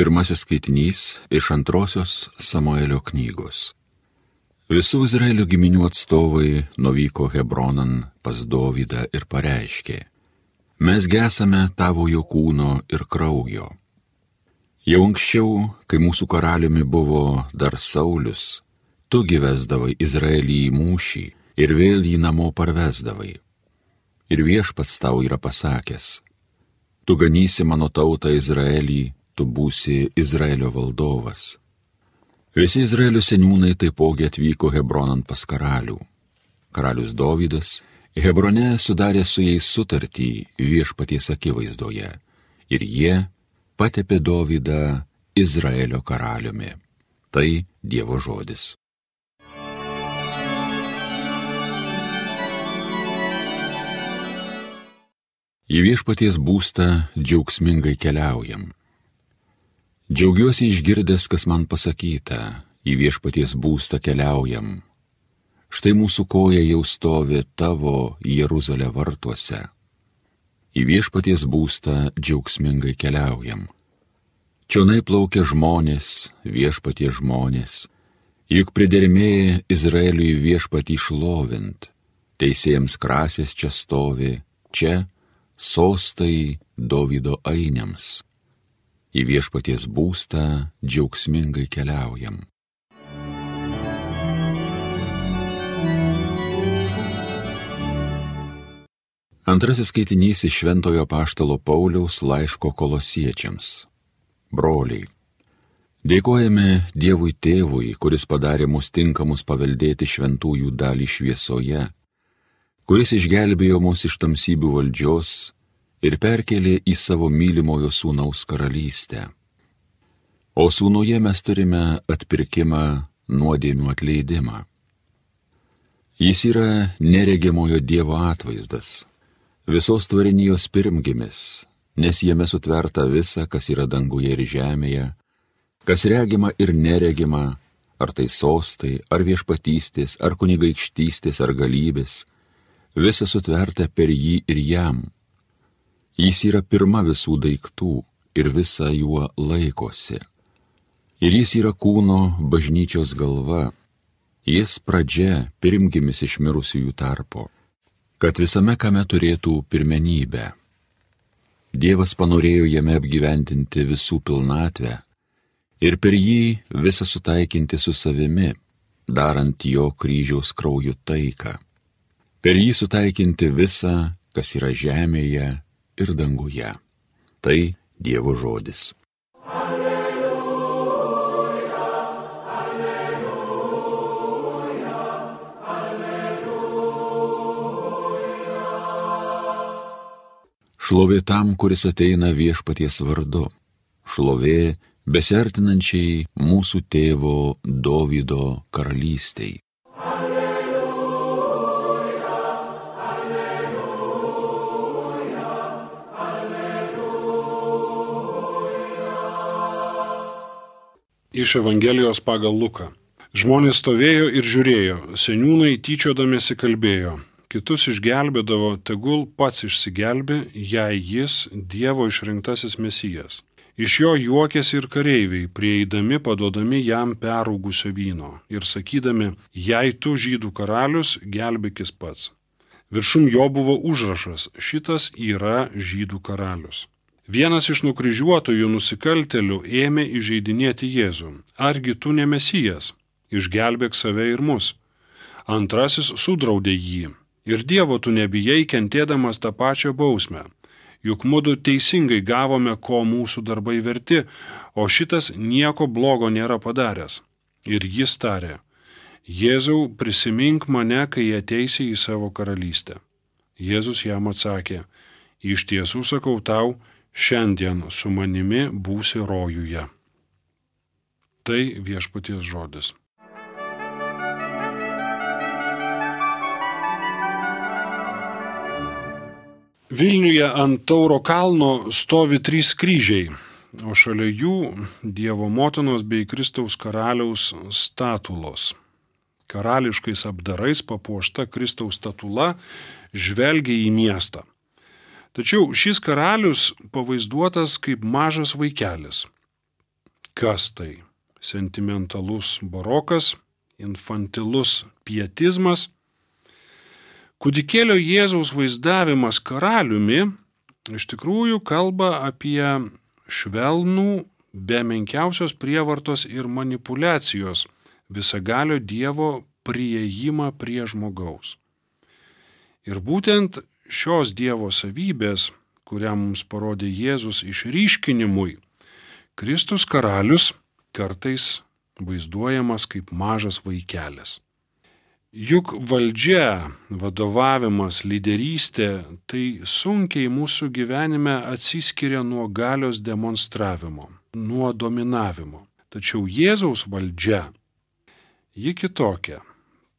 Pirmasis skaitinys iš antrosios Samuelio knygos. Visų Izraelio giminių atstovai nuvyko Hebronan pas Dovydą ir pareiškė: Mes gesame tavojo kūno ir kraujo. Jau anksčiau, kai mūsų karaliumi buvo dar Saulius, tu vesdavai Izraelį į mūšį ir vėl jį namo parvesdavai. Ir Viešpats tau yra pasakęs: Tu ganysi mano tautą Izraelį, tu būsi Izraelio valdovas. Visi Izraelio seniūnai taipogi atvyko Hebronan pas karalių. Karalius Dovydas Hebrone sudarė su jais sutartį Viešpaties akivaizdoje ir jie patepė Dovydą Izraelio karaliumi. Tai Dievo žodis. Į Viešpaties būstą džiaugsmingai keliaujam. Džiaugiuosi išgirdęs, kas man pasakyta, į Viešpaties būstą keliaujam. Štai mūsų koja jau stovi tavo Jeruzalė vartuose. Į Viešpaties būstą džiaugsmingai keliaujam. Čionai plaukia žmonės, Viešpaties žmonės, juk pridermėja Izraeliui Viešpatį šlovint. Teisėjams krasės čia stovi, čia sostai Dovydo ainiams. Į Viešpaties būstą džiaugsmingai keliaujam. Antrasis skaitinys iš Šventojo apaštalo Pauliaus laiško Kolosiečiams. Broliai, dėkojame Dievui Tėvui, kuris padarė mus tinkamus paveldėti šventųjų dalį šviesoje, kuris išgelbėjo mus iš tamsybių valdžios ir perkėlė į savo mylimojo sūnaus karalystę. O sūnuje mes turime atpirkimą, nuodėmių atleidimą. Jis yra neregimojo Dievo atvaizdas, visos tvarinijos pirmgimis, nes jame sutverta visa, kas yra danguje ir žemėje, kas regima ir neregima, ar tai sostai, ar viešpatystės, ar kunigaikštystės, ar galybės, visa sutverta per jį ir jam. Jis yra pirma visų daiktų ir visa juo laikosi. Ir jis yra kūno bažnyčios galva, jis pradžia pirmgimis iš mirusiųjų tarpo, kad visame kame turėtų pirmenybę. Dievas panorėjo jame apgyventinti visų pilnatvę ir per jį visą sutaikinti su savimi, darant jo kryžiaus krauju taiką. Per jį sutaikinti visą, kas yra žemėje ir danguje. Tai Dievo žodis. Alleluja, alleluja, alleluja. Šlovė tam, kuris ateina Viešpaties vardu. Šlovė besiartinančiai mūsų tėvo Dovydo karalystei. Iš Evangelijos pagal Luką. Žmonės stovėjo ir žiūrėjo, seniūnai tyčiodamiesi kalbėjo, kitus išgelbėdavo, tegul pats išsigelbė, jei jis Dievo išrinktasis Mesijas. Iš jo juokėsi ir kareiviai, prieidami paduodami jam perūgusio vyno ir sakydami, jei tu žydų karalius, gelbėkis pats. Viršum jo buvo užrašas, šitas yra žydų karalius. Vienas iš nukryžiuotojų nusikaltėlių ėmė įžeidinėti Jėzų. Argi tu ne Mesijas? Išgelbėk save ir mus. Antrasis sudraudė jį. Ir Dievo tu nebijai, kentėdamas tą pačią bausmę. Juk mudu teisingai gavome, ko mūsų darbai verti, o šitas nieko blogo nėra padaręs. Ir jis tarė: Jėzau, prisimink mane, kai ateisi į savo karalystę. Jėzus jam atsakė: Iš tiesų sakau tau, šiandien su manimi būsi rojuje. Tai Viešpaties žodis. Vilniuje ant Tauro kalno stovi 3 kryžiai, o šalia jų Dievo motinos bei Kristaus karaliaus statulos. Karališkais apdarais papuošta Kristaus statula žvelgia į miestą. Tačiau šis karalius pavaizduotas kaip mažas vaikelis. Kas tai? Sentimentalus barokas, infantilus pietizmas. Kūdikėlio Jėzaus vaizdavimas karaliumi iš tikrųjų kalba apie švelnų, be menkiausios prievartos ir manipulacijos visagalio Dievo priėjimą prie žmogaus. Ir būtent šios Dievo savybės, kurią mums parodė Jėzus išryškinimui, Kristus karalius kartais vaizduojamas kaip mažas vaikelis. Juk valdžia, vadovavimas, lyderystė tai sunkiai mūsų gyvenime atsiskiria nuo galios demonstravimo, nuo dominavimo. Tačiau Jėzaus valdžia, ji kitokia.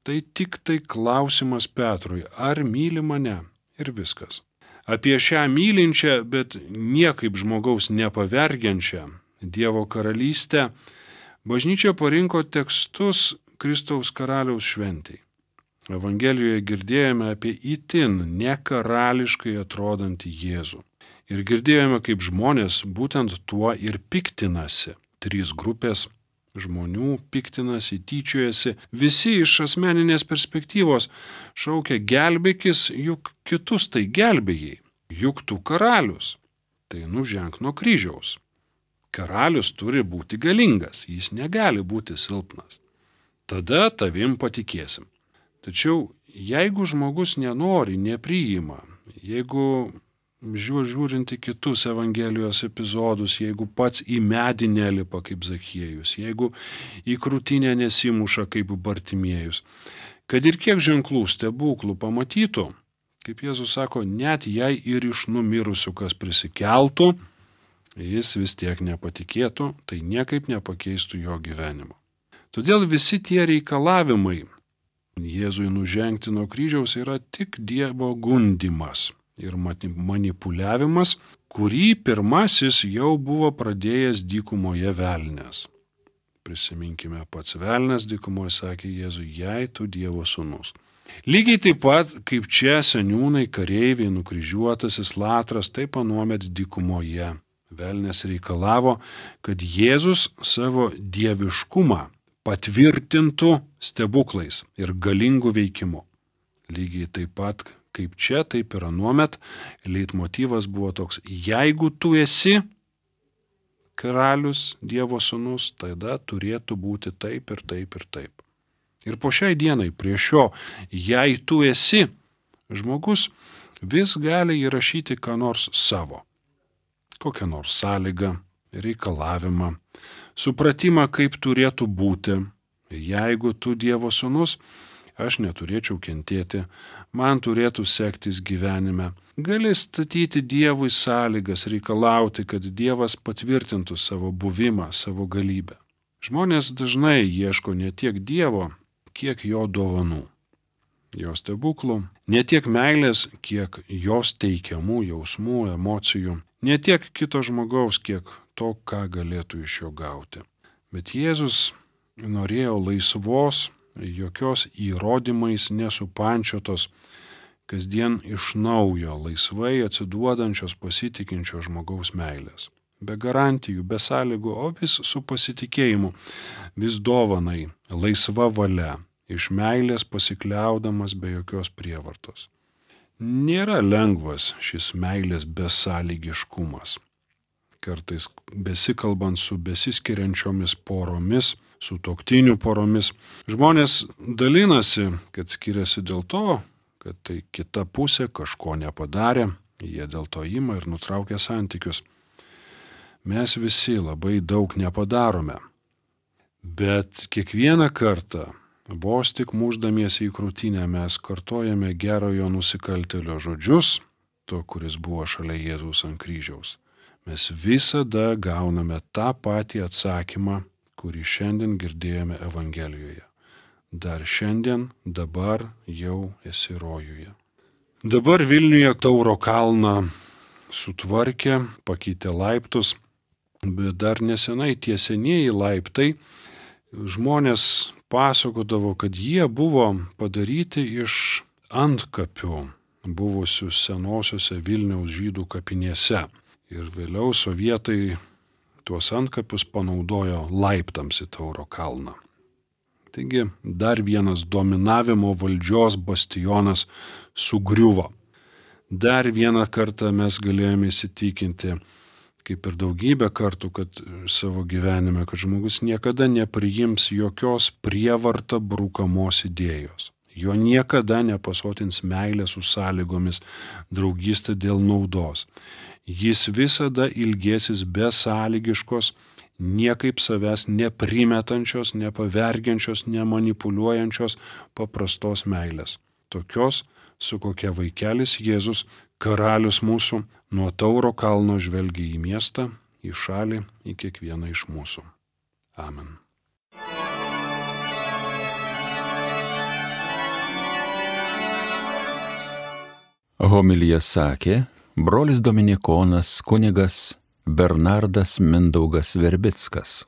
Tai tik tai klausimas Petrui, ar myli mane, ir viskas. Apie šią mylinčią, bet niekaip žmogaus nepavergiančią Dievo karalystę bažnyčia parinko tekstus Kristaus karaliaus šventei. Evangelijoje girdėjome apie itin nekarališkai atrodantį Jėzų. Ir girdėjome, kaip žmonės būtent tuo ir piktinasi. 3 grupės žmonių piktinasi, tyčiojasi. Visi iš asmeninės perspektyvos šaukia gelbėkis, juk kitus tai gelbėjai. Juk tu karalius. Tai nuženk nuo kryžiaus. Karalius turi būti galingas, jis negali būti silpnas. Tada tavim patikėsim. Tačiau jeigu žmogus nenori, nepriima, jeigu žiūrint į kitus Evangelijos epizodus, jeigu pats į medį nelipa kaip Zachiejus, jeigu į krūtinę nesimuša kaip Bartimiejus, kad ir kiek ženklų stebuklų pamatytų, kaip Jėzus sako, net jei ir iš numirusių kas prisikeltų, jis vis tiek nepatikėtų, tai niekaip nepakeistų jo gyvenimo. Todėl visi tie reikalavimai Jėzui nužengti nuo kryžiaus yra tik Dievo gundimas ir manipuliavimas, kurį pirmasis jau buvo pradėjęs dykumoje velnias. Prisiminkime, pats velnias dykumoje sakė Jėzui, jei tu Dievo sūnus. Lygiai taip pat, kaip čia seniūnai, kareiviai, nukryžiuotasis Latras, taip anuomet dykumoje. Velnias reikalavo, kad Jėzus savo dieviškumą patvirtintų stebuklais ir galingų veikimu. Lygiai taip pat, kaip čia, taip ir anuomet, leitmotyvas buvo toks, jeigu tu esi karalius, Dievo sūnus, tada turėtų būti taip ir taip ir taip. Ir po šiai dienai prie šio, jei tu esi, žmogus vis gali įrašyti ką nors savo. Kokią nors sąlygą, reikalavimą, supratimą, kaip turėtų būti. Jeigu tu Dievo sūnus, aš neturėčiau kentėti, man turėtų sektis gyvenime. Gali statyti Dievui sąlygas, reikalauti, kad Dievas patvirtintų savo buvimą, savo galybę. Žmonės dažnai ieško ne tiek Dievo, kiek jo dovanų, jo stebuklų, ne tiek meilės, kiek jos teikiamų jausmų, emocijų, ne tiek kito žmogaus, kiek to, ką galėtų iš jo gauti. Bet Jėzus norėjo laisvos, jokios įrodymais nesupančiotos, kasdien iš naujo, laisvai atsiduodančios pasitikinčio žmogaus meilės. Be garantijų, be sąlygų, o vis su pasitikėjimu, vis dovanai, laisva valia, iš meilės pasikliaudamas be jokios prievartos. Nėra lengvas šis meilės besąlygiškumas. Kartais besikalbant su besiskiriančiomis poromis, sutuoktinių poromis, žmonės dalinasi, kad skiriasi dėl to, kad tai kita pusė kažko nepadarė, jie dėl to ima ir nutraukia santykius. Mes visi labai daug nepadarome, bet kiekvieną kartą, vos tik mušdamiesi į krūtinę, mes kartojame gerojo nusikaltėlio žodžius, to, kuris buvo šalia Jėzaus ant kryžiaus. Mes visada gauname tą patį atsakymą, kurį šiandien girdėjome Evangelijoje. Dar šiandien, dabar jau esi rojuje. Dabar Vilniuje Tauro kalną sutvarkė, pakeitė laiptus, bet dar nesenai tie senieji laiptai žmonės pasakodavo, kad jie buvo padaryti iš antkapių buvusių senosiuose Vilniaus žydų kapinėse. Ir vėliau sovietai tuos antkapius panaudojo laiptams į Tauro kalną. Taigi dar vienas dominavimo valdžios bastionas sugriuvo. Dar vieną kartą mes galėjome įsitikinti, kaip ir daugybę kartų, kad savo gyvenime, kad žmogus niekada nepriims jokios prievarta brūkamos idėjos. Jo niekada nepasotins meilė su sąlygomis, draugystė dėl naudos. Jis visada ilgėsis besąlygiškos, niekaip savęs neprimetančios, nepavergiančios, nemanipuliuojančios paprastos meilės. Tokios, su kokia vaikelis Jėzus, karalius mūsų, nuo Tauro kalno žvelgia į miestą, į šalį, į kiekvieną iš mūsų. Amen. Homiliją sakė brolis dominikonas kunigas Bernardas Mindaugas Verbickas.